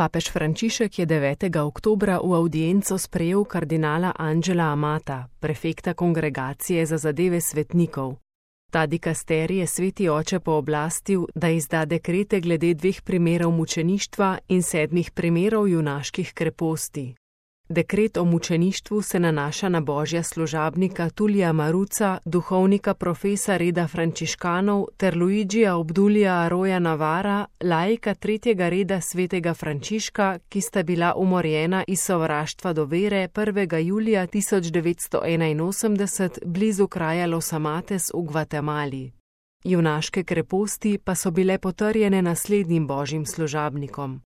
Papež Frančišek je 9. oktobra v avdienco sprejel kardinala Angela Amata, prefekta Kongregacije za zadeve svetnikov. Ta dikasterij je sveti oče pooblastil, da izda dekrete glede 2 primerov mučeništva in 7 primerov junaških kreposti. Dekret o mučeništvu se nanaša na božja služabnika Tulija Maruca, duhovnika profesa reda frančiškanov, ter Luigija Obdulija Aroja Navara, laika 3. reda svetega Frančiška, ki sta bila umorjena iz sovraštva do vere 1. julija 1981 blizu kraja Los Amates v Gvatemali. Junaške kreposti pa so bile potrjene naslednjim božjim služabnikom: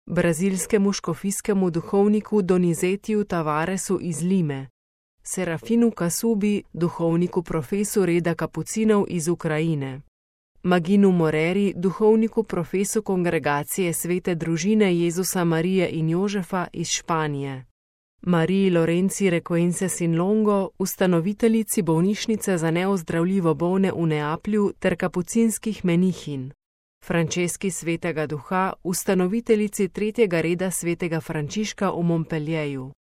brazilskemu škofijskemu duhovniku Donizetiju Tavaresu iz Lime, Serafinu Kasubi, duhovniku profesu reda kapucinov iz Ukrajine, Maginu Moreri, duhovniku profesu Kongregacije svete družine Jezusa, Marije in Jožefa iz Španije, Mariji Lorenci Requences in Longo, ustanoviteljici bolnišnice za neozdravljivo bolne v Neaplju ter kapucinskih menihinj, Franceski svetega duha, ustanoviteljici 3. reda svetega Frančiška v Montpellierju,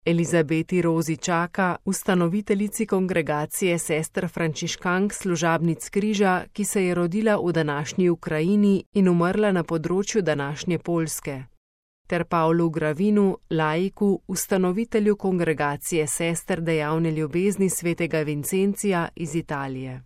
Elizabeti Rozi Čaka, ustanoviteljici Kongregacije sester frančiškank služabnic križa, ki se je rodila v današnji Ukrajini in umrla na področju današnje Poljske, ter Pavlu Gravinu, laiku, ustanovitelju Kongregacije sester dejavne ljubezni svetega Vincencija iz Italije.